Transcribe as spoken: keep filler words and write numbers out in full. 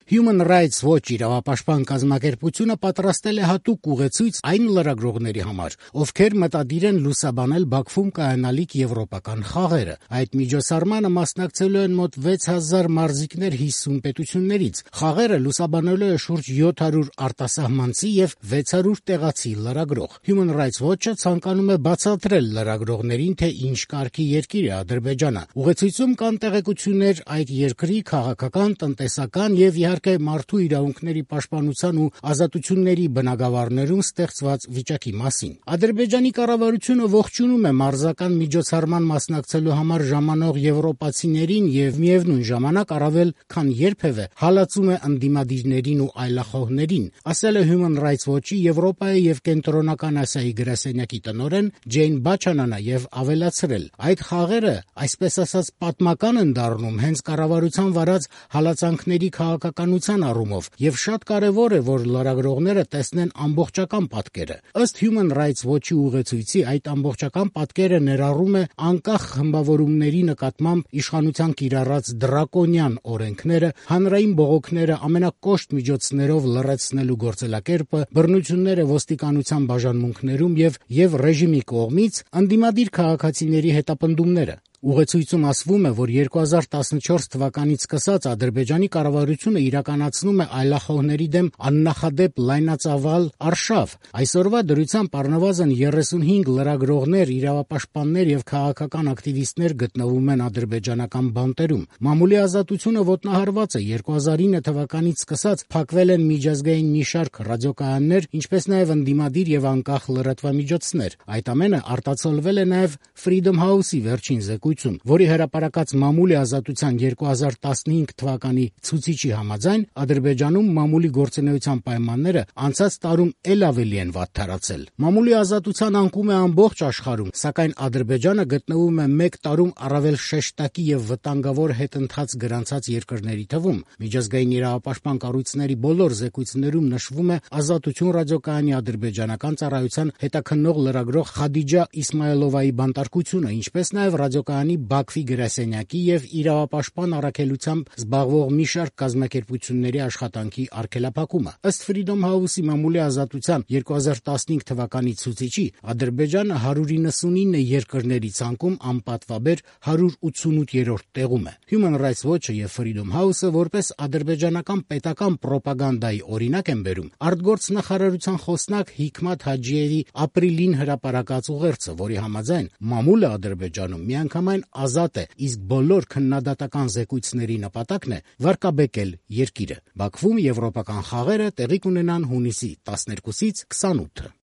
Human Rights Watch իրավապաշտպան կազմակերպությունը պատրաստել է հատուկ ուղեցույց այն լրագրողների համար, ովքեր մտադիր են լուսաբանել Բաքվում կայանալիք եվրոպական խաղերը։ Այդ միջոցառմանը մասնակցելու են մոտ վեց հազար մարզիկներ հիսուն պետություններից։ Խաղերը լուսաբանելու է շուրջ յոթ հարյուր արտասահմանցի եւ վեց հարյուր տեղացի լրագրող։ Human Rights Watch-ը ցանկանում է բացատրել լրագրողներին, թե ինչ կարգի երկիր է Ադրբեջանը։ Ուղեցույցում կան տեղեկություններ այդ երկրի քաղաքական, տնտեսական եւ իհարկե մարդու իրավունքների պաշտպանության ու ազատությունների բնագավառներում ստեղծված վիճակի մասին։ Ադրբեջանի կառավարությունը ողջունում է մարզական միջոցառման մասնակցելու համար ժամանող եվրոպացիներին եւ միևնույն ժամանակ առավել քան երբևէ հալածում է ընդդիմադիրներին ու այլախոհներին, ասել է Human Rights Watch-ի Եվրոպայի եւ Կենտրոնական Ասիայի գրասենյակի տնօրեն Ջեյն Բաչանանը եւ ավելացրել. այդ խաղերը, այսպես ասած, պատմական են դառնում հենց կառավարության վարած հալածանքների քաղաքականության առումով եւ շատ կարեւոր է, որ լրագրողները տեսնեն ամբողջական պատկերը։ Ըստ Human Rights Watch-ի ուղեցույցի այդ ամբողջական պատկերը ներառում է անկախ խմբավորումների նկատմամբ իշխանության կիրառած դրակոնյան օրենքները, հանրային բողոքները ամենակոշտ միջոցներով լռեցնելու գործելակերպը, բռնությունները ոստիկանության բաժանմունքներում եւ եւ ռեժիմի կողմից ընդդիմադիր քաղաքացիների հետապնդումները։ Ուղեցույցում ասվում է, որ երկու հազար տասնչորս թվականից սկսած Ադրբեջանի կառավարությունը իրականացնում է այլախոհների դեմ աննախադեպ լայնածավալ արշավ։ Այսօրվա դրությամբ առնվազն երեսունհինգ լրագրողներ, իրավապաշտպաններ եւ քաղաքական ակտիվիստներ գտնվում են ադրբեջանական բանտերում։ Մամուլի ազատությունը ոտնահարված է։ երկու հազար ինը թվականից սկսած փակվել են միջազգային մի շարք ռադիոկայաններ, ինչպես նաեւ ընդդիմադիր եւ անկախ լրատվամիջոցներ։ Այդ ամենը արտացոլվել է նաեւ Freedom House-ի վերջին զեկույցում, որի հրապարակած մամուլի ազատության երկու հազար տասնհինգ թվականի ցուցիչի համաձայն Ադրբեջանում մամուլի գործունեության պայմանները անցած տարում ել ավելի են վատթարացել։ Մամուլի ազատության անկում է ամբողջ աշխարհում, սակայն Ադրբեջանը գտնվում է մեկ տարում առավել շեշտակի եւ վտանգավոր հետընթաց գրանցած երկրների թվում։ Միջազգային իրավապաշտպան կառույցների բոլոր զեկույցներում նշվում է Ազատություն ռադիոկայանի ադրբեջանական ծառայության հետաքննող լրագրող Խադիջա Իսմայելովայի բանտարկությունը, ինչպես նաեւ ռադիոկայանի Բաքվի գրասենյակի եւ իրավապաշտպան առաքելությամբ զբաղվող մի շարք կազմակերպությունների աշխատանքի արգելափակումը։ Ըստ Freedom House-ի մամուլի ազատության երկու հազար տասնհինգ թվականի ցուցիչի, Ադրբեջանը հարյուր իննսունինը երկրների ցանկում անպատվաբեր հարյուր ութսունութերորդ տեղում է։ Human Rights Watch-ը եւ Freedom House-ը որպես ադրբեջանական պետական ռոպագանդայի օրինակ են բերում արտգործնախարարության խոսնակ Հիկմաթ Հաջիևի ապրիլին հրապարակած ուղերձը, որի համաձայն մամուլը Ադրբեջանում միանգամայն ազատ է, իսկ բոլոր քննադատական զեկույցների նպատակն է վարկաբեկել երկիրը։ Բաքվում եվրոպական խաղերը տեղի կունենան հունիսի տասներկուսից քսանութը։